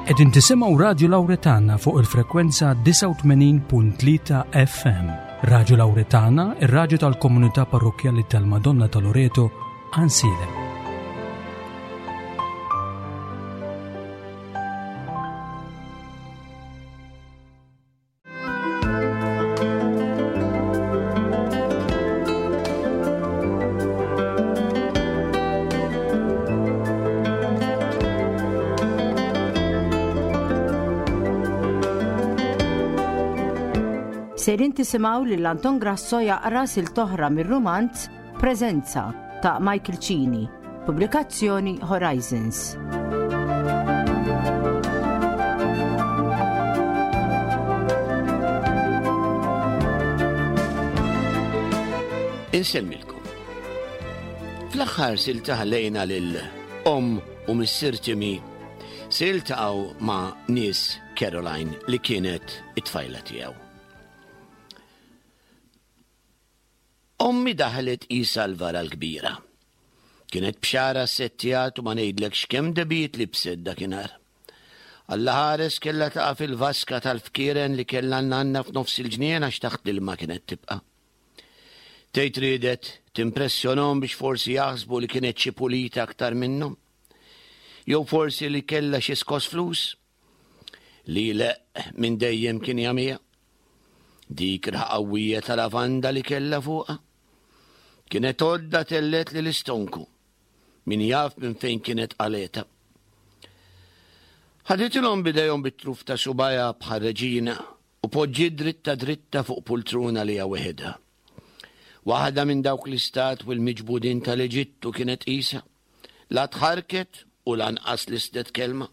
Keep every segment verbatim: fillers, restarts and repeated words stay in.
Qegħdin tisimgħu Radju Lawretana fuq il-frekwenza disgħa u tmenin punt tlieta F M. Radju Lawretana, ir-radju tal-Komunità Parrokkjali tal-Madonna ta' Loreto, Għajnsielem. Sejrin tisimgħu lil Anton Grasso jaqra silta oħra mir-rumanz Preżenza ta' Michael Cini, pubblikazzjoni Horizons. Insemmilkom. Fl-aħħar silta ħallejna lil omm u missier Timmy se jiltaqgħu ma' nies Caroline li kienet it-tfajla tiegħu. Ommi daħlet qisha l-vara l-kbira. Kienet b'xagħarha ssettjat u ma ngħidlekx kemm dehbijiet libset dakinhar. Alla ħares kellha taqa' fil-vaska tal-fkieren li kellha nanna f'nofs il-ġnien, għax taħt l-ilma kienet tibqa'. Tgħid riedet timpressjonahom biex forsi jaħsbu li kienet xi pulita aktar minnhom. Jew forsi li kellha xi skos flus. Li leq minn dejjem kien jagħmiha. Dik qawwija tal-lavanda li kellha fuqha. Kienet għodda tellgħetli l-istonku. Min jaf minn fejn kienet qalgħetha. Ħaditilhom b'idejhom bit-truf ta' subgħajha bħal reġina u poġġiet dritta dritta fuq pultruna li weħidha. Waħda minn dawk l-istatwi l-miġbudin tal-Eġittu kienet qisha. La tħarket u lanqas lissnet kelma.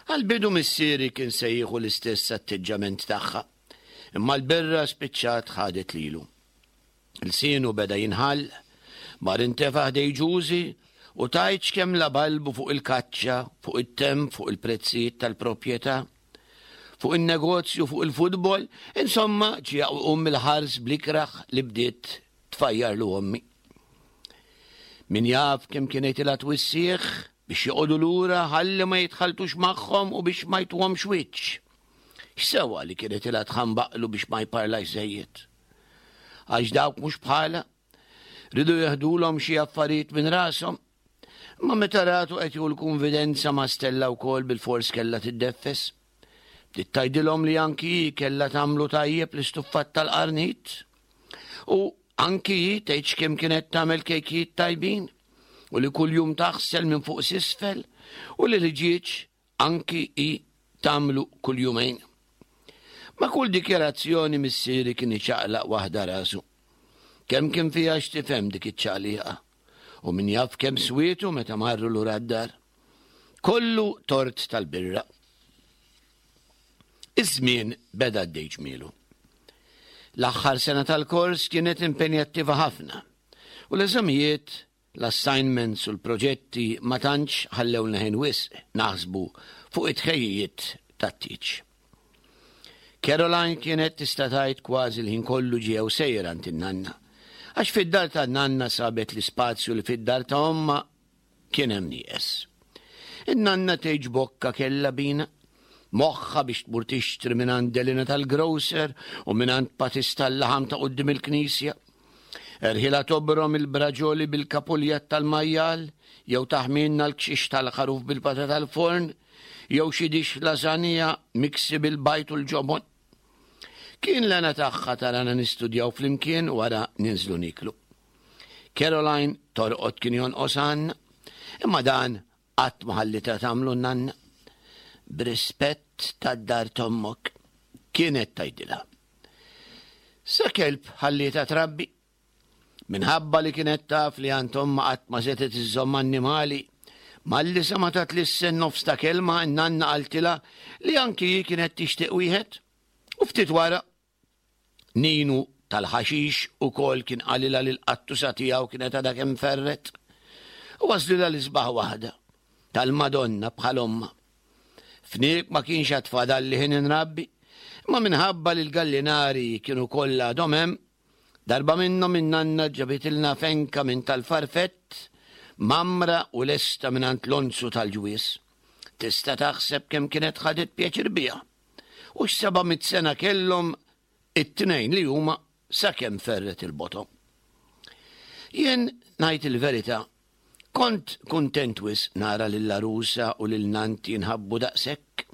Għal-bidu missieri kien se jieħu l-istess atteġġament tagħha, imma l-birra spiċċat ħadet lilu. Ilsienu beda jinħall, mar intefa' ħdejn Ġużi u tgħidx kemm labalbu fuq il-kaċċa, fuq it-temp, fuq il-prezzijiet tal-proprjetà, fuq il-negozju, fuq il-futbol, insomma ġie um il-ħars bl-ikraħ li bdiet tfajjarlu ommi. Min jaf kemm kienet ilha twissih biex joqogħdu lura ħalli ma jitħaltux magħhom u biex ma jtuhomx wiċċ. X'sewa li kienet ilha tħambaqlu biex ma jparlax żejjed? Għax dawk mhux bħala, riedu jeħdulhom xi affarijiet minn rashom. Ma meta ratu qed jieħu l-konfidenza ma' Stella wkoll, bil-fors kellha tiddeffes. Bdiet tgħidilhom li anki hi kellha tagħmlu tajjeb l-istuffat tal-qarnit. U anki hi tgħidx kemm kienet tagħmel kejkijiet tajbin u li kuljum taħsel minn fuq s'isfel u li l-ħġieġ anki hi tagħmlu kull jumejn. Ma' kull dikjarazzjoni missieri kien iċaqlaq waħda rasu. Kemm kien fiha x'tifhem dik iċ-ċaqliqa u min jaf kemm swietu meta marru lura d-dar. Kollu tort tal-birra. Iż-żmien beda għaddej ġmielu. L-aħħar sena tal-kors kienet impenjattiva ħafna u l-eżamijiet, l-assignments u l-proġetti ma tantx ħallewna ħin wisq naħsbu fuq it-tħejjijiet tat-tieġ. Caroline kienet tista' tgħid kważi l-ħin kollu ġew sejra għand in-nanna. Għax fid-dar ta' nanna sabet l-ispazju li fid-dar ta' omma kien hemm nieqes. In-nanna tgħidx bokka kellha bina. Moħħa biex tmur tixtri minn Delina tal-grocer u minn Patista tal-laħam ta' quddiem il-knisja. Erħilha tobrom il-braġoli bil-kapuljat tal-majjal, jew taħmilna l-kxix tal-ħaruf bil-patata tal-forn, jew xi dixx lasagna miksi bil-bajd u l-ġobon. Kien l-hena tagħha tarana nistudjaw flimkien, wara ninżlu niklu. Caroline torqod kien jonqos għandna, imma dan qatt ma ħallitha tagħmlu nanna. "B'rispett tad-dar t'ommok," kienet tgħidilha. Sa kelb ħallietha trabbi. Minħabba li kienet taf li għand ommha qatt ma setgħet iżżomm annimali, malli semgħetha tlissen nofs ta' kelma, nanna qaltilha li anki hi kienet tixtieq wieħed. U ftit wara, Ninu tal-ħaxix ukoll kien qalilha li l-qattusa tiegħu kienet għadha kemm ferret. U għażlilha l-isbaħ waħda, tal-Madonna bħal ommha. Fniek ma kienx għad fadalli ħin inrabbi, imma minħabba li l-gallinari kienu kollha għadhom hemm, darba minnhom in-nanna ġabitilna fenka minn tal-farfett, mgħammra u lesta minn Lonzu tal-ġwież. Tista' taħseb kemm kienet ħadet pjaċir biha. U x'seba' mitt sena kellhom it-tnejn li huma sakemm ferret il-boto. Jien ngħid il-verità, kont kuntent wisq nara lill-għarusa u lil nannti jinħabbu daqshekk.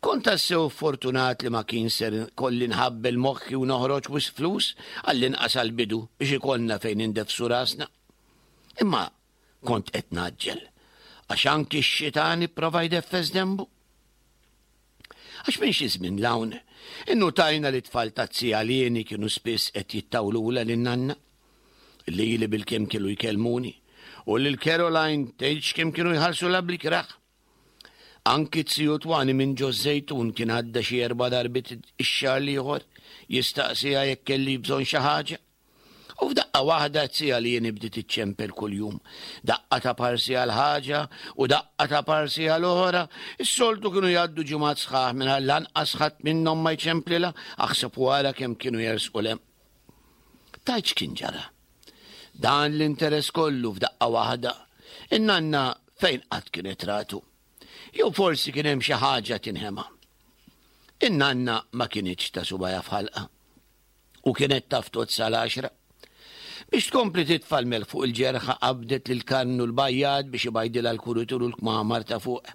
Kont tassew fortunat li ma kien ser kolli nħabbel moħħi u noħroġ wisq flus għall-inqas għall-bidu biex ikollna fejn indefsu rasna. Imma kont qed naġġel, għax anki x-xitan ipprova jdeffes dembu. Għax minn xi żmien 'l hawn, innutajna li tfal taz-zija Lieni kienu spiss qed jittawlula lin-nanna. Lili bilkemm kienu jkellmuni u lil Caroline tgħidx kemm kienu jħarsulha bl-ikrah. Anki z-ziju Twani minn ġo Żejtun kien għadda xi erba' darbiet ix-xahar l-ieħor jistaqsiha jekk kelli bżonn xi ħaġa. U f'daqqa waħda z-zija Lieni bdiet iċċempel kuljum. Daqqa ta' parsi għal ħaġa u daqqa ta' parsi għal oħra. Is-soltu kienu jgħaddu ġimgħat sħaħ mingħajr lanqas ħadd minnhom ma jċemplilha, aħseb wara kemm kienu jersqu 'l hemm. Tgħidx kien ġara. Dan l-interess kollu f'daqqa waħda. In-nanna fejn qatt kienet ratu? Jew forsi kien hemm xi ħaġa tinħema. In-nanna ma kinitx ta' subgħajha f'ħalqha u kienet taf tgħodd sal-għaxra. Biex tkompli titfa' l-melħ fuq il-ġerħa qabdet lil Karmnu l-bajjad biex ibajdilha l-kuritur u l-kmamar ta' fuq.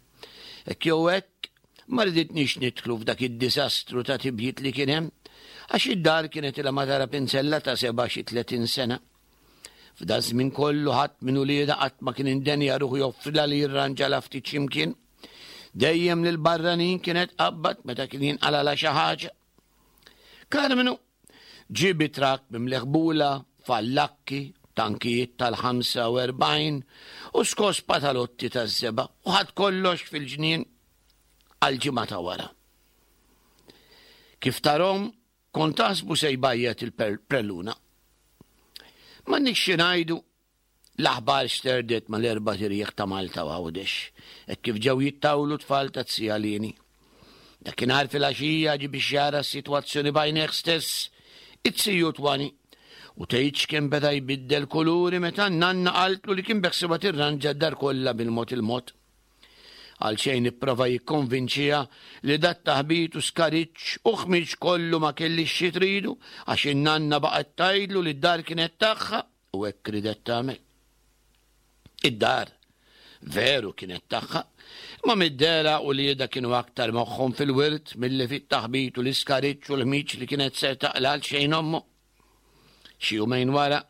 Hekk jew hekk ma riditniex nidħlu f'dak id-diżastru ta' tibjid li kien hemm, għax id-dar kienet ilha ma tara pinzella ta' seba' xi tletin sena. F'da żmien kollu ħadd minn uliedha qatt ma kien indenja ruħu joffrilha li jirranġalha ftit x'imkien. Dejjem lil barranin kienet qabbat meta kien jinqalalha xi ħaġa. Karmnu ġie bi trakk mimli ħbula, fallakki, tankijiet tal-ħamsa u erbgħin u skos patalotti taż-żebgħa u ħadd kollox fil-ġnien għal ġimgħa ta' wara. Kif tarhom kont taħsbu se jbajjat il-prelluna. Ma nix xi ngħidu, l-aħbar xterdet mal-erba' tirjieħ ta' Malta u Għawdex, hekk kif ġew jittawlu tfal ta' z-zija Lieni. Dakinhar filgħaxija ġie biex jara s-sitwazzjoni b'għajnejh stess, it-ziju Twani, u tgħidx kemm beda jbiddel kuluri meta n-nanna qaltlu li kien beħsiebha tirranġa d-dar kollha bil-mod il-mod. Għal xejn ipprova jikkonvinċiha li dat taħbit u skariċ u ħmiġ kollu ma kellix xi tridu għax in-nanna baqgħet tgħidlu li d-dar kienet tagħha u hekk ridet tagħmel. Id-dar veru kienet tagħha, imma mid-dehra u lieda kienu aktar moħħhom fil-wirt milli fit-taħbit u l-iskariċ u l-ħmiġ li kienet ser taqla għal xejn ommu. Xi jumejn wara,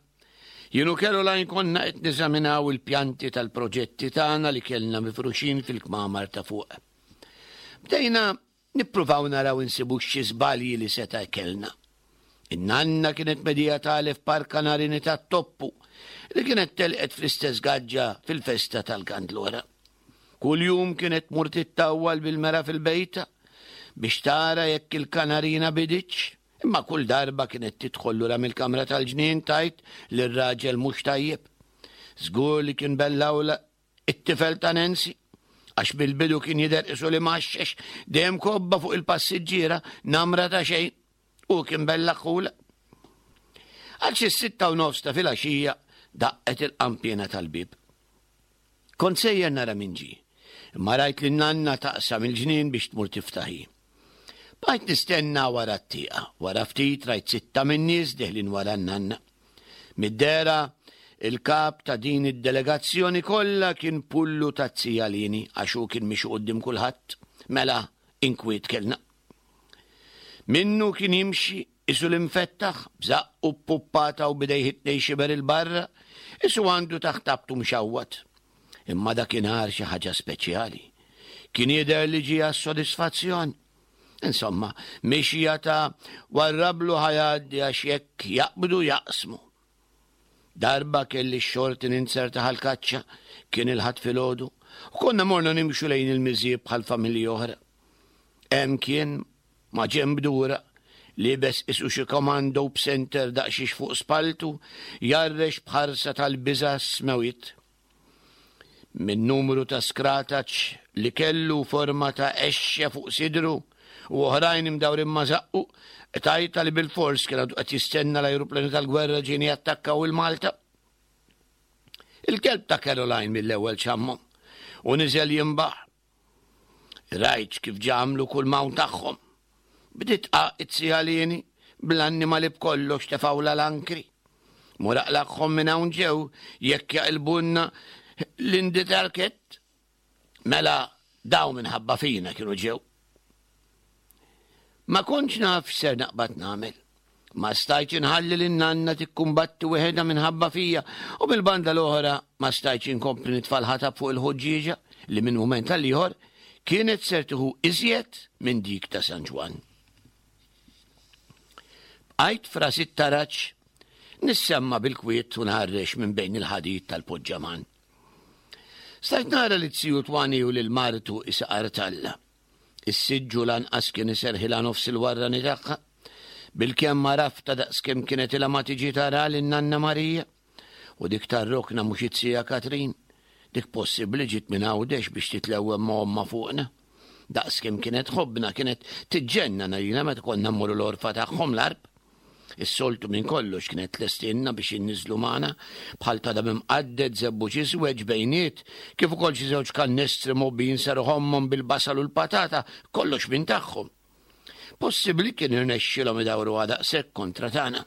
jien u Caroline konna qed niżaminaw il-pjanti tal-proġetti tagħna li kellna mifruxin fil-kmamar ta' fuq. Bdejna nippruvaw naraw insibu xi żbalji li seta' kellna. In-nanna kienet medija tagħlef par kanarini tat-toppu li kienet telqet fl-istess gaġġa fil-festa tal-Kandlora. Kuljum kienet tmur tittawwal bil-mera fil-bejta biex tara jekk il-kanarina biditx, imma kull darba kienet tidħol lura mill-kamra tal-ġnien tgħid li r-raġel mhux tajjeb. Żgur li kien bellawla it-tifel ta' Nancy, għax bil-bidu kien jidher qisu li maxxex dejjem kobba fuq il-passiġġiera namra ta' xejn u kien bellaħħula. Għal xi sitta u nofs ta' filgħaxija daqqet il-qampiena tal-bieb. Kont sejjer nara min ġie, imma rajt lin nanna taqsam il-ġnien biex tmur tiftaħi. Bqajt nistenna wara t-tieqa, wara ftit rajt sitta min-nies deħlin wara n-nanna. Mid-dehra, il-kap ta' din id-delegazzjoni kollha kien pullu ta' z-zija Lieni għax hu kien miexi quddiem kulħadd, mela inkwiet kellna. Minnu kien jimxi isu l-imfettaħ, b'żaqqu ppuppata u bidejh it-tnejn xiber il-barra, isu għandu taħt abtu mxawwat. Imma dakinhar xi ħaġa speċjali. Kien jidher li ġie għas-sodisfazzjon. Insomma, mixja ta' warrablu ħajaddi għax jekk jaqbdu jaqsmu. Darba kelli x-xorti ninzerta ħal-kaċċa, kien il-Ħadd filgħodu, u konna morna nimxu lejn il-miżieb bħal familji oħra. Hemm kien ma' ġenb dura, libes isu xi komando b'senter daqsxiex fuq spaltu, jarrex b'ħarsa tal-biża' smewit. Min numru ta' skrataċ li kellu forma ta' exxe fuq sidru u oħrajn imdawrin ma' żaqqu, tajta li bil-fors kien għadu qed jistenna l-ajruplani tal-gwerra ġieni jattakkaw il-Malta. Il-kelb ta' Caroline mill-ewwel xammhom u niżel jinbaħ. Rajt kif ġamlu kull mawn tagħhom. Bdiet it-zija Lieni bl-annimali b'kollox tefgħula l-ankri. Mur aqlagħhom minn hawn ġew jekk jaqilbunna l-inditarket. Mela daw minħabba fina kienu ġew. Ma kontx naf x'ser naqbad nagħmel. Ma stajtx inħalli lin-nanna tikkumbatti weħedha minħabba fija u mill-banda l-oħra ma stajtx inkompli nitfa' l-ħatab fuq il-ħuġġieġa li minn mument għal ieħor kienet ser tieħu iżjed minn dik ta' San Ġwann. Bqajt f'ras it-taraġ nissemma' bil-kwiet u nħarrex minn bejn il-ħadid tal-poġġaman. Stajt nara li t-siju Twani u lil martu isaqar talla. Is-siġġu lanqas kien iserħilha nofs il-warrani tagħha. Bilkemm għarafta daqskemm kienet ilha ma tiġi tara lin-nanna Marija. U dik tar-rokna mhux it-sija Katrin. Dik possibbli ġiet minn Għawdex biex titlewwem ma' ommha fuqna. Daqskemm kienet tħobbna, kienet tiġġennan għalina meta konna mmorru l-għorfa tagħhom l-Għarb. Is-soltu minn kollox kienet tlestilna biex inniżżlu magħna bħal tadam imqadded, żebbuġ iswed, ġbejniet, kif ukoll xi żewġ kannestri mgħobbijin ser ħommhom bil-basal u l-patata, kollox minn tagħhom. Possibbli kien irnexxilhom idawruha daqshekk kontra tagħna.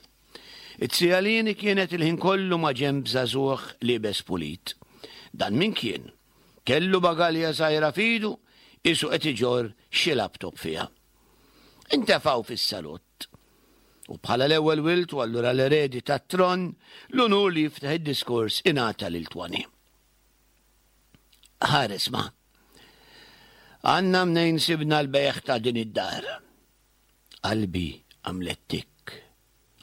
It-zija Lieni kienet il-ħin kollu ma' ġenb żagħżugħ liebes pulit. Dan min kien? Kellu bagalja żgħira f'idu, qisu qed iġorr xi laptop fiha. Intefgħu fis-salott. U bħala l-ewwel wild u allura l-eredi tat-tron, l-unur li jiftaħ id-diskors ingħata lil Twani. Ħares ma. Għandna mnejn sibna l-bejgħ ta' din id-dar. Qalbi għamlet tik,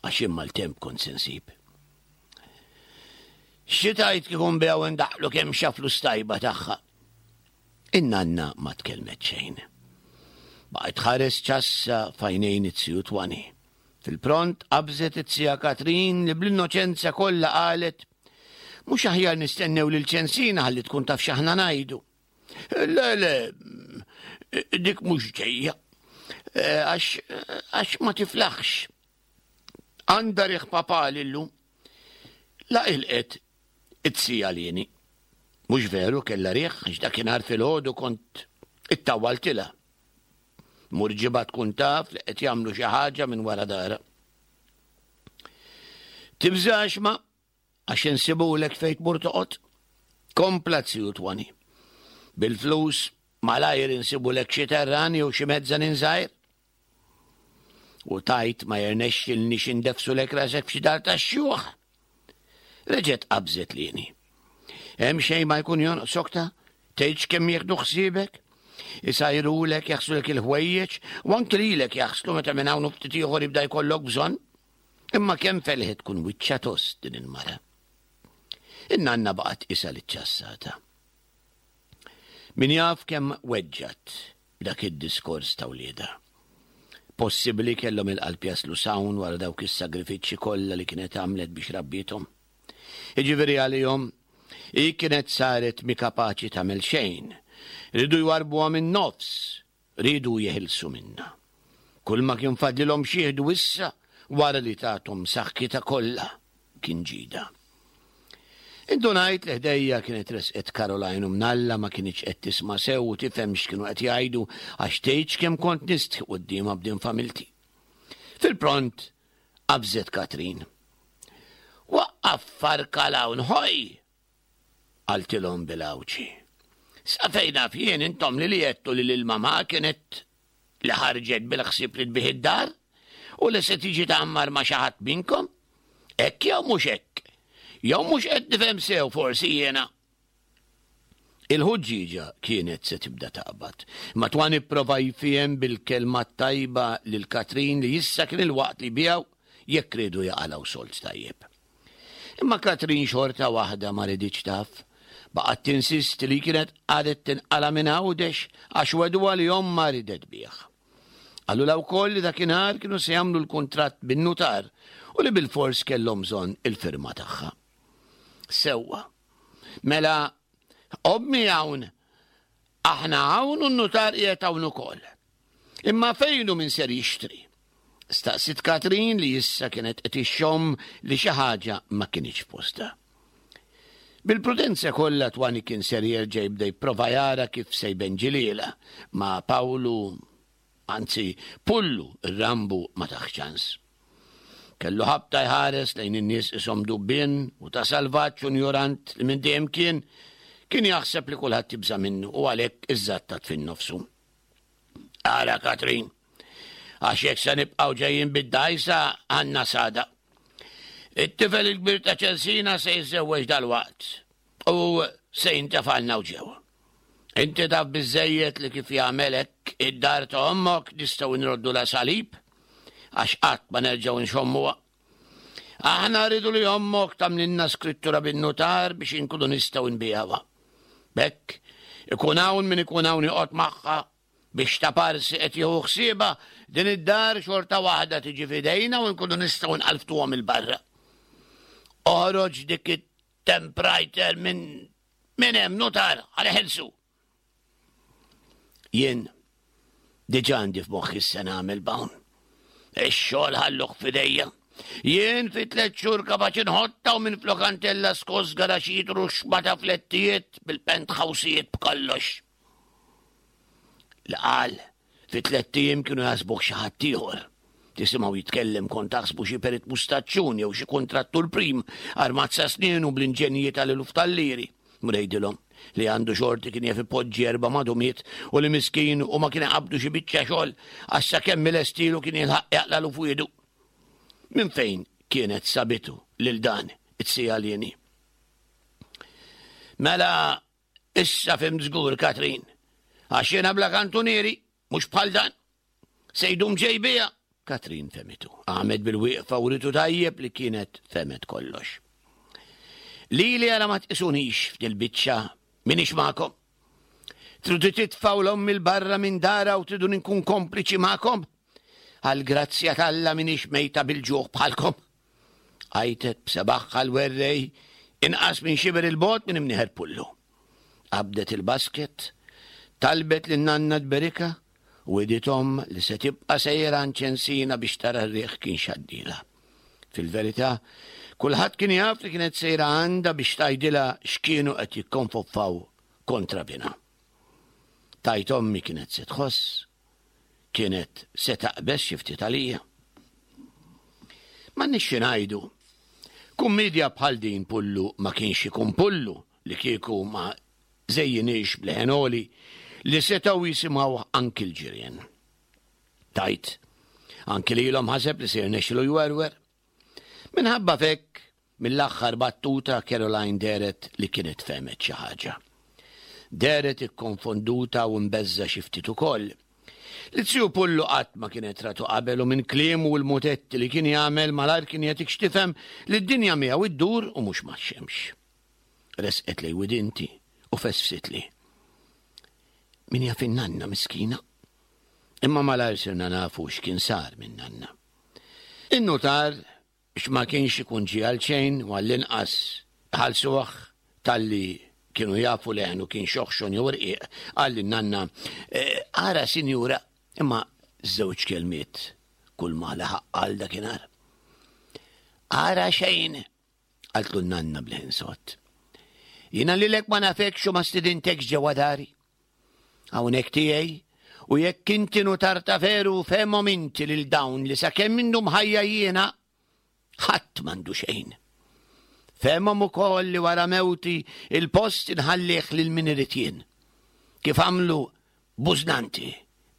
għax imma l-temp kont se nsib. Xi tgħid kieku nbigħu ndaħħlu kemm xa flus tajba tagħha? In-nanna ma tkellmet xejn. Baqgħet tħares ċassa f'għajnejn it-siju Twani. Fil-pront qabżet it-sija Katrin li bl-innoċenza kollha qalet, mhux aħjar nistennew lil Ċensina ħalli tkun taf x'aħna ngħidu. Le, le, dik mhux ġejja. Għax, għax ma tiflaħx. Għandha riħ papali llum. La ilqet it-sija Lieni. Mhux veru kellha riħ għax dakinhar filgħodu kont ittawwaltilha. Mur ġibha tkun taf li qed jagħmlu xi ħaġa minn wara dara. Tibżax ma għax insibulek fejn tmur toqgħod. Kompla t-siju Twani. Bil-flus malajr insibulek xi terran jew xi mezzanin żgħir. U tajt ma jirnexxilniex indefsulek rasek f'xi dar tax-xjuħ. Reġgħet qabżet Lieni. Hemm xejn ma jkun jonqsok ta' tgħidx kemm jieħdu ħsiebek? Isajrulek, jaħslulek il-ħwejjeġ, u anki lilek jaħslu meta minn hawn u ftit ieħor jibda jkollok bżonn. Imma kemm felħet tkun wiċċa tost din il-mara. In-nanna baqgħet isa li ċassata. Min jaf kemm weġġat b'dak id-diskors ta' wliedha. Possibbli kellhom il-qalb jaslu s'hawn wara dawk is-sagrifiċċji kollha li kienet għamlet biex rabbiethom. Jiġifieri għalihom, hi kienet saret mi kapaċi tagħmel xejn. Ridu jwarbuha minn nofs, ridu jeħilsu minnha. Kull ma kien fadlilhom xieħdu issa wara li tathom saħħitha kollha kien ġida. Indunajt li ħdejja kienet resqet Caroline u mnalla ma kinitx qed tisma' sew u tifhem x'kienu qed jgħidu għax tgħidx kemm kont nistħi quddiemha b'din familti. Fil-pront qabżet Katrin. Waqqaf farka l-hawn ħoj! Qaltilhom bil-għawċi. Sa fejn naf jien intom li li għedtu li lil-mamà kienet li ħarġet bil-ħsieb li tbigħ id-dar u li se tiġi tgħammar ma' xi ħadd minnkom? Hekk jew mhux hekk? Jew mhux qed nifhem sew forsi jiena? Il-ħuġġieġa kienet se tibda taqbad. Ma Twan ipprova jfiem bil-kelma tajba lil Katrin li issa kien il-waqt li biegħu jekk riedu jaqalgħu sold tajjeb. Imma Katrin xorta waħda ma riditx taf. Baqgħet tinsisti li kienet għadet tinqala minn Għawdex għax weduha li ommha ridet bih. Qalulha wkoll li dakinhar kienu se jagħmlu l-kuntratt bin-nutar u li bil-fors kellhom bżonn il-firma tagħha. Sewwa. Mela, ommi hawn, aħna hawn u n-nutar qiegħed hawn ukoll. Imma fejn hu min ser jixtri? Staqsit Katrin li issa kienet qed ixxomm li xi ħaġa ma kinitx f'postha. Bil-prudenza kollha Twani kien ser jerġa' jibda jipprova jara kif se jbenġilielha, ma Pawlu, anzi Pullu ir-Rambu ma taħ ċans. Kellu ħabta jħares lejn in-nies ishom dubbien u ta' salvaġġ u njorant li minn dejjem kien kien jaħseb li kulħadd jibża' minnu u għalhekk iżżattat fin-nofsu. Ara Katrin, għax jekk se nibqgħu ġejjin bid-dgħajsa għandna sada. It-tifel il-kbir ta' Ċensina se jiżżewweġ dalwaqt u se jintefalna u ġew. Inti taf biżżejjed li kif jagħmel hekk id-dar ta' ommok nistgħu nroddu la salib għax qatt ma nerġgħu nxommuha. Aħna rridu li ommok tagħmlilna skrittura bin-nutar biex inkunu nistgħu nbigħuha. B'hekk, ikun hawn min ikun hawn joqgħod magħha biex ta' parsi qed jieħu ħsiebha din id-dar xorta waħda tiġi f'idejna u nkunu nistgħu nqalftuhom il barra. Oħroġ dik it-temprajter minn minn hemm nutar għal ħelsu. Jien diġà għandi f'moħħi se nagħmel b'hawn. Ix-xogħol ħalluh f'idejja. Jien fi tliet xhur kapaċi nħotta u minn flokantella skos garaxijiet ruxma ta' flettijiet bil-penthousijiet b'kollox. Li qal fi tlett ijiem kienu jaħsbuh xi ħadd ieħor. Tisimgħu jitkellem kont taħsbu xi perit mustaċċun jew xi kuntrattur prim armat sa snienu bl-inġenji tal-eluf tal-liri. Mrejdilhom li għandu xorti kien jaf ipoġġi erba' madumiet u li miskin u ma kien qabdu xi biċċa xogħol għax sakemm ilestilu kien jilħaq jaqlalu f'wiedu. Minn fejn kienet sabitu lil dan it-sijalini? Mela issa fhimt żgur, Katrin, għax jiena bla kantunieri, mhux bħal dan. Se jdum ġej bija. Katrin fehmitu. Qamet bil-wieqfa u ritu tajjeb li kienet fehmet kollox. Lili għala ma tqisunix f'dil-biċċa minix magħkom. Tridu titfgħu l-ommi l-barra minn dara u tridu nkun kompliċi magħkom. Għal-grazzja t'Alla minix mejta bil-ġuħ bħalkom. Għajtet b'sebaħħa l-werrej inqas minn xiber il-bot minn imnieħer Pullu. Qabdet il-basket, talbet lin nanna tberika u wegħdithom li se tibqa' sejra għand Ċensina biex tara r-riħ kien xaddila. Fil-verità, kulħadd kien jaf li kienet sejra għandha biex tgħidilha x'kienu qed jikkonfoffaw kontra bina. Tajt ommi kienet se tħoss, kienet se taqbeż xi ftit għalija. M'għandniex xi ngħidu. Kummedja bħal din Pullu ma kienx ikun Pullu li kieku ma żejjinix b'leħen għoli li setgħu jisimgħu anki l-ġirien. Tajt, anki lilhom ħaseb li se jirnexxilu jwerwer. Minħabba fekk, mill-aħħar battuta Caroline dehret li kienet fehmet xi ħaġa. Dehret ikkonfonduta u mbeżża' xi ftit ukoll. Li ziju Pullu qatt ma kienet ratu qabel u minn kliemu u l-mutetti li kien jagħmel malajr kien jagħtik x'tifhem li d-dinja miegħu iddur u mhux max-xemx. Resqet lejn widinti u fesfsitli. Min jaf in-nanna miskina? Imma malajr sirna nafu x'kien sar minn nanna. In-nutar biex ma kienx ikun ġie għal xejn u għall-inqas ħalsuh talli kienu jafu leħnu kien xoħxon jew irqiq, qal lin-nanna, ara sinjura, imma żewġ kelmiet kull ma laħaq qal dakinhar. Ara xejn, qaltlu n-nanna b'leħen sod. Jiena lilek ma nafekx u ma stidintekx ġewwa dari. Hawnhekk tiegħi, u jekk inti nutar ta' veru fehmhom inti lil dawn li sakemm minnhom ħajja jiena ħadd m'għandu xejn. Fehmhom ukoll li wara mewti il-post inħallih lil min irid jien. Kif għamlu bużnanti,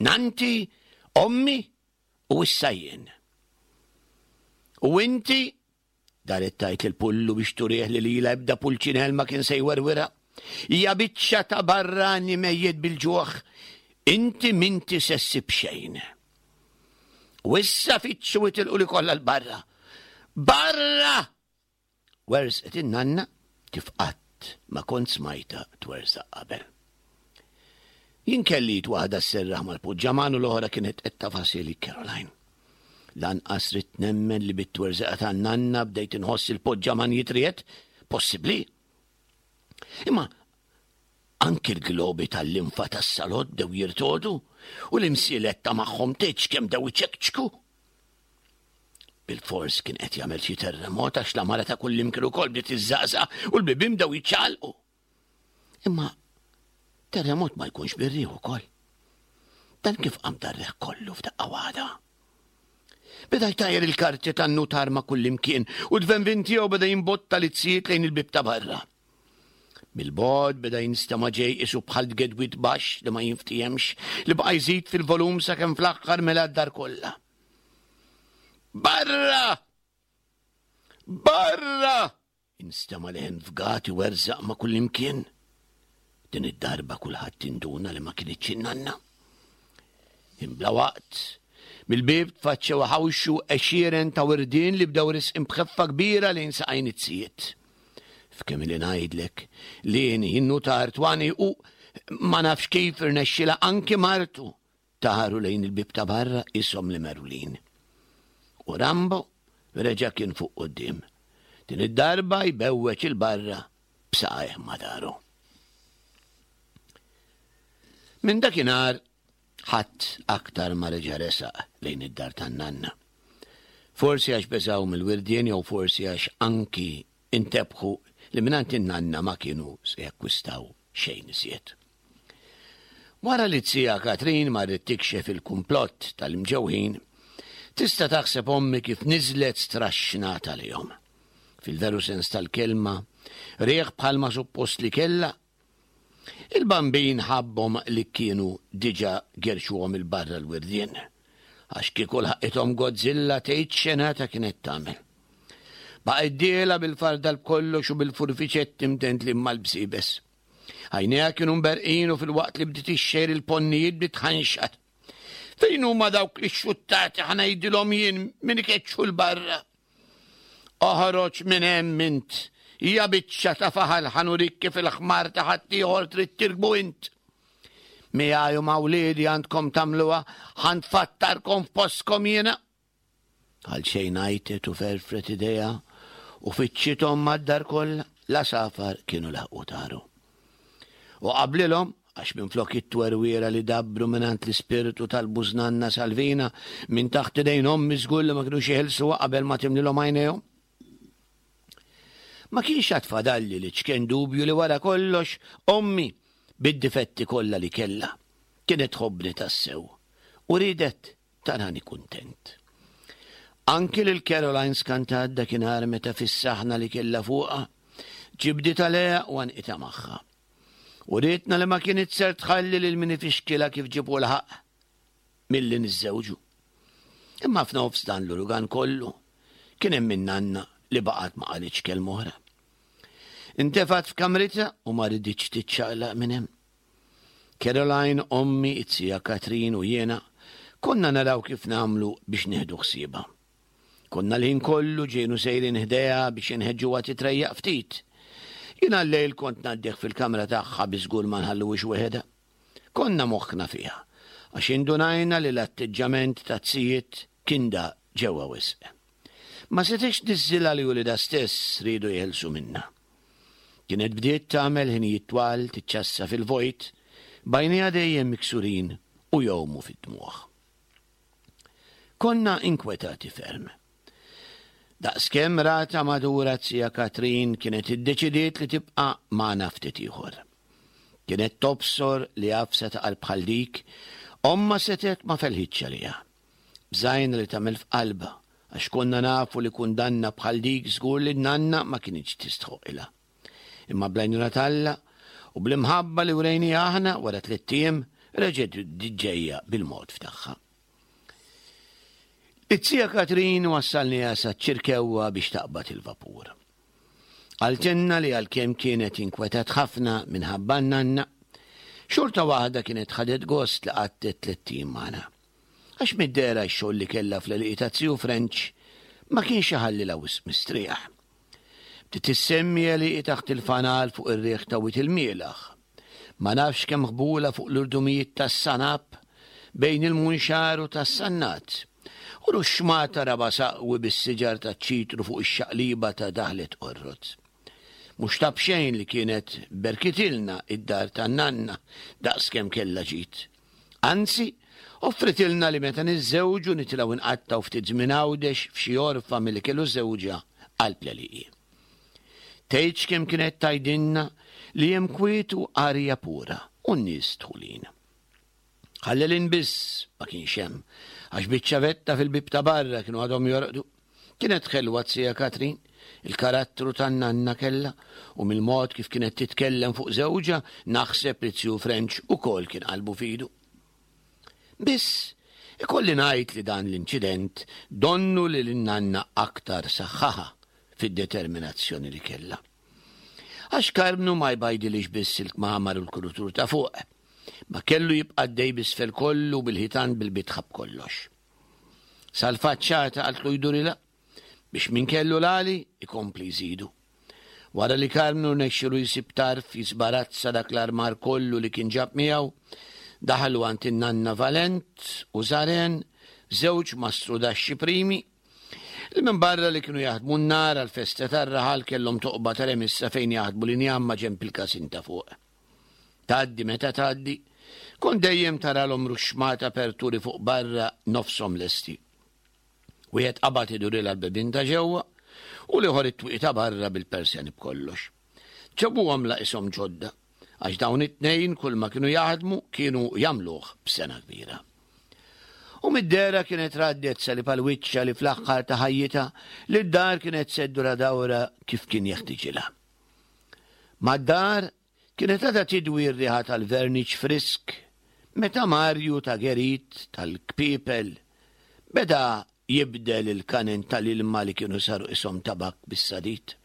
nanti, ommi u issa jien. U inti, daret tajt il-pullu biex turih li lila ebda pulċinel ma kien se jwerwira, hija biċċa ta' barrani mejjet bil-ġuħ, inti minti se ssib xejn. U issa fittxu itilqu li kollha l-barra. Barra! Wersqet in-nanna kif qatt ma kont smajta twersaq qabel. Jien kelli waħda sserraħ mal-puġġaman u l-oħra kienet qed tafasili Caroline. Lanqas ridt nemmen li bit-twerżiqa tan-nanna bdejt inħoss il-poġġaman jitriet, possibbli. Imma anki l-globi tal-linfa tas-salott bdew jirtodu u l-imsielet ta' magħhom tgħidx kemm bdew iċekċku. Bil-fors kien qed jagħmel xi terremot għax l-għamara ta' kullimkien ukoll bdiet iżżaqżaq u l-bibien bdew jiċċaqalqu. Imma terremot ma jkunx bir-riħ ukoll. Dan kif qam dar-riħ kollu f'daqqa waħda? Beda jtajjar il-karti tan-nutar ma' kullimkien u d-tvenvin tiegħu beda jimbotta l-izzijiet lejn il-bieb ta' barra. Mill-bogħod beda jinstema' ġej qisu bħal tgedwid baxx li ma jinftihemx li baqa' jżid fil-volum sakemm fl-aħħar mela d-dar kollha. Barra! Barra! Instema' leħen fgat iwerżaq ma' kullimkien. Din id-darba kulħadd induna li ma kinitx in-nanna. Imbla waqt, mill-bieb tfaċċew ħawxu għexieren ta' wirdien li bdew risqin b'ħeffa kbira lejn saqajn it-sijiet. F'kemm li ngħidlek li jien innutar Twani u ma nafx kif irnexxilha anki martu taru lejn il-bieb ta' barra ishom li merwlin. U Rambo reġa' kien fuq quddiem. Din id-darba jbewweġ il-barra b'saqajh ma daru. Minn dakinhar ħadd aktar ma reġa' resaq lejn id-dar tan-nanna. Forsi għax beżgħu mill-wirdien jew forsi għax anki intebħu li mingħand in-nanna ma kienu se jakkwistaw xejn iżjed. Wara li t-sija Katrin marret tikxef il-kumplott tal-imġewħin, tista' taħseb ommi kif niżlet straxxnata għalihom. Fil-veru sens tal-kelma, riħ bħalma suppost li kellha. Il-Bambin ħabbhom li kienu diġà gerxuhom 'il barra l-wirdien. Għax kieku lħaqithom Godzilla tgħid xenata kienet tagħmel. Baqgħet dieħla bil-fardal b'kollox u bil-furfiċetti mdendlin mal-bsiebes. Għajnejha kienu mberqin u filwaqt li bdiet ixxejr il-ponnijiet bdiet tħanxar. Fejn huma dawk li xuttati ħa ngħidilhom jien min ikeċċu 'l barra. Oħroġ minn hemm int, hija biċċa ta' faħal ħa nurik kif il-ħmar ta' ħaddieħor trid tirkbu int. Miegħi u ma' wliedi għandkom tagħmluha, ħa nfattarkom f'postkom jiena. Għal xejn għajtet u ferfret idejha u fittxithom mad-dar kollha, l-għasafar kienu laħqu taru. U qablilhom, għax minflok it-twerwira li dabbru mingħand l-ispirtu tal-bużnanna Salvina minn taħt idejn ommi żgur li ma kinux jeħilsuha qabel ma timlilhom għajnejhom. Ma kienx għad fadalli li ċken dubju li wara kollox ommi bid-difetti kollha li kellha kienet tħobbni tassew u riedet tarani kuntent. Anki lil Caroline skantat dakinhar meta fis-saħna li kellha fuqha ġibditha għaliha u għanqitha magħha. U rietna li ma kienet ser tħalli lil min ifixkilha kif ġibu l-ħaqq milli niżżewġu. Imma f'nofs dan l-urugan kollu kien hemm min-nanna li baqgħet ma qalitx kelma oħra. Intefgħet f'kamritha u ma riditx tiċċaqlaq minn hemm. Caroline, ommi, it-sija Katrin u jiena konna naraw kif nagħmlu biex nieħdu ħsiebha. Konna l-ħin kollu ġejnu sejrin ħdejha biex inħeġġuha titrejjaq ftit. Jiena l-lejl kont ngħaddih fil-kamra tagħha bi żgur ma nħalluhiex weħedha. Konna moħħna fiha, għax indunajna li l-atteġġament ta' tzijiet kien da ġewwa wisq. Ma setgħetx tniżżilha li wliedha stess riedu jeħilsu minnha. Kienet bdiet tagħmel ħinijiet twal tiċċassa fil-vojt, b'għajnejha dejjem miksurin u jgħumu fid-dmugħ. Konna inkwetati ferm. Daqskemm rata madura t-sija Katrin kienet iddeċidiet li tibqa' magħna ftit ieħor. Kienet tobsor li għafsa ta' qalb bħal dik, ommha setgħet ma felħitx għaliha. Bżajna li tagħmel f'qalbha, għax konna nafu li kundanna bħal dik żgur li n-nanna ma kinitx tistħoqilha. Imma bl-għajnuna t'Alla u bl-imħabba li wrejniha aħna wara tliet ijiem reġgħet bdiet ġejja bil-mod f'tagħha. It-sija Katrin wassalniha saċ-Ċirkewwa biex taqbad il-vapur. Qaltilna li għalkemm kienet inkwetat ħafna minħabba n-nanna, xorta waħda kienet ħadet gost li qattet tliet ijiem magħna. Għax mid-dehra x-xogħol li kellha fl-għelieqi ta' Ziju French ma kienx iħallilha wisq mistrieħ. Bdiet issemmi għelieqi taħt il-fanal fuq ir-riħ ta' Wied il-Mielaħ. Ma nafx kemm ħbula fuq l-irdumijiet tas-Sanab bejn il-Munxar u tas-Sannat. U ruxxmata raba' saqwi bis-siġar taċ-ċitru fuq ix-xaqliba ta' daħlet Qorrot. Mhux ta' b'xejn li kienet berkitilna id-dar tan-nanna daqskemm kellha ġid. Anzi, Offritilna li meta niżżewġu nitilgħu nqattgħu ftit żmien Għawdex f'xi għorfa milli kellu żewġha qalb l-għelieqi. Tgħidx kemm kienet tgħidilna li hemm kwiet u arja pura u n-nies dħulin. Ħallelin biss ma kienx hemm, għax biċ-ċavetta fil-bieb ta' barra kienu għadhom jorqdu. Kienet ħelwa z-zija Katrin, il-karattru tan-nanna kellha u mill-mod kif kienet titkellem fuq żewġha naħseb li zju French ukoll kien qalbu f'idu. Biss, ikolli ngħid li dan l-inċident donnu li lin-nanna aktar saħħaha fid-determinazzjoni li kellha. Għax Karmnu ma jbajdilix biss il-kmamar u l-kurutur ta' fuq, ma kellu jibqa' għaddej b'isfel kollu bil-ħitan bil-bitħa b'kollox. Sal-faċċata qaltlu jdurilha biex min kellu l-għali ikompli jżidu. Wara li Karmnu rnexxielu jsib tarf jisbarazza dak l-armar kollu li kien ġab miegħu, daħlu għand in-nanna Valent u Zaren, żewġ mastrudaxxi primi, li minn barra li kienu jaħdmu n-nar għal-festa tar-raħal kellhom toqba ta' remissa fejn jaħdmu l-injam ma' ġenb il-każin ta' fuq. Tgħaddi meta tgħaddi, kont dejjem taralhom ruxxmata aperturi fuq barra nofshom lesti. Wieħed qabad idurilha l-bibien ta' ġewwa u l-ieħor it-twieqi ta' barra bil-persjani b'kollox. Ġabuhom la ishom ġodda, għax dawn it-tnejn kull ma kienu jaħdmu kienu jagħmluh b'sena kbira. U mid-dehra kienet raddet salib għal wiċċha li fl-aħħar ta' ħajjitha li d-dar kienet se ddurha dawra kif kien jeħtiġilha. Mad-dar kienet għadha tidwi r-riħa tal-verniċ frisk meta Marju ta' Gerit tal-Kpiepel beda jibdel il-kanen tal-ilma li kienu saru ishom tabak bis-sadid,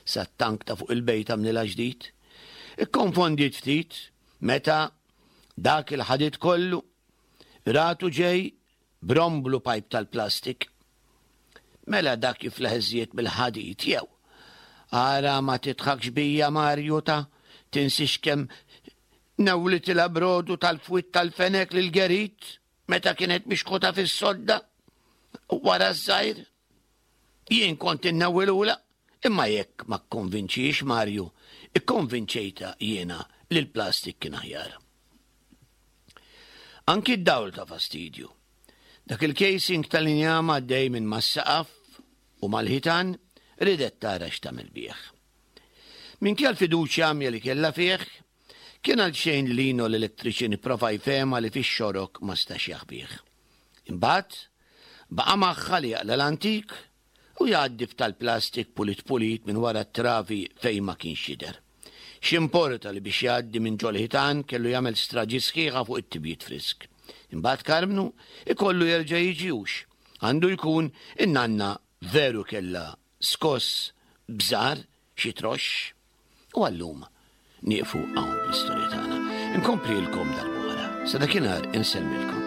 sat-tank ta' fuq il-bejt għamlilha ġdid. Ikkonfondiet ftit meta dak il-ħadid kollu ratu ġej bromblu pajp tal-plastik. Mela dak jiflaħ iżjed mill-ħadid jew. Ara ma titħakx bija Marju ta' tinsix kemm nawlitilha brodu tal-fwitt tal-fenek lil Gerit meta kienet mixħuta fis-sodda wara ż-żgħir. Jien kont innawwilula, imma jekk ma kkonvinċix Marju, ikkonvinċejta jiena li l-plastik kien aħjar. Anki d-dawl ta' fastidju. Dak il-casing tal-injam għaddej minn mas-saqaf u mal-ħitan ridet tara x'tagħmel bih. Minkejja l-fiduċja għamja li kellha fih, kien għal xejn li Lino l-elettriċin ipprova jfehmha li fix-xorok ma stax jaħbih. Imbagħad baqa' magħha li jaqla' l-antik u jgħaddi f'tal-plastik pulit pulit minn wara t-travi fejn ma kienx jidher. X'importa li biex jgħaddi minn ġol-ħitan kellu jagħmel straġi sħiħa fuq it-tibjiet frisk. Imbagħad Karmnu ikollu jerġa' jiġi hux. Għandu jkun in-nanna veru kellha skoss bżar xi troxx. U għallum nieqfu hawn bl-istorja tagħna. Inkomplilkom darb'oħra. Sa dakinhar insellmilkom.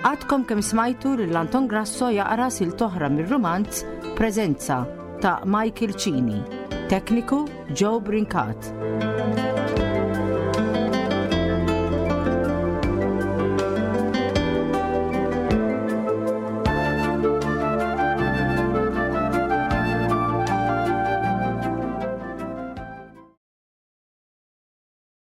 Għadkom kemm smajtu lil Anton Grasso jaqra silta oħra mir-rumanz Preżenza ta' Michael Cini. Tekniku Joe Brincat.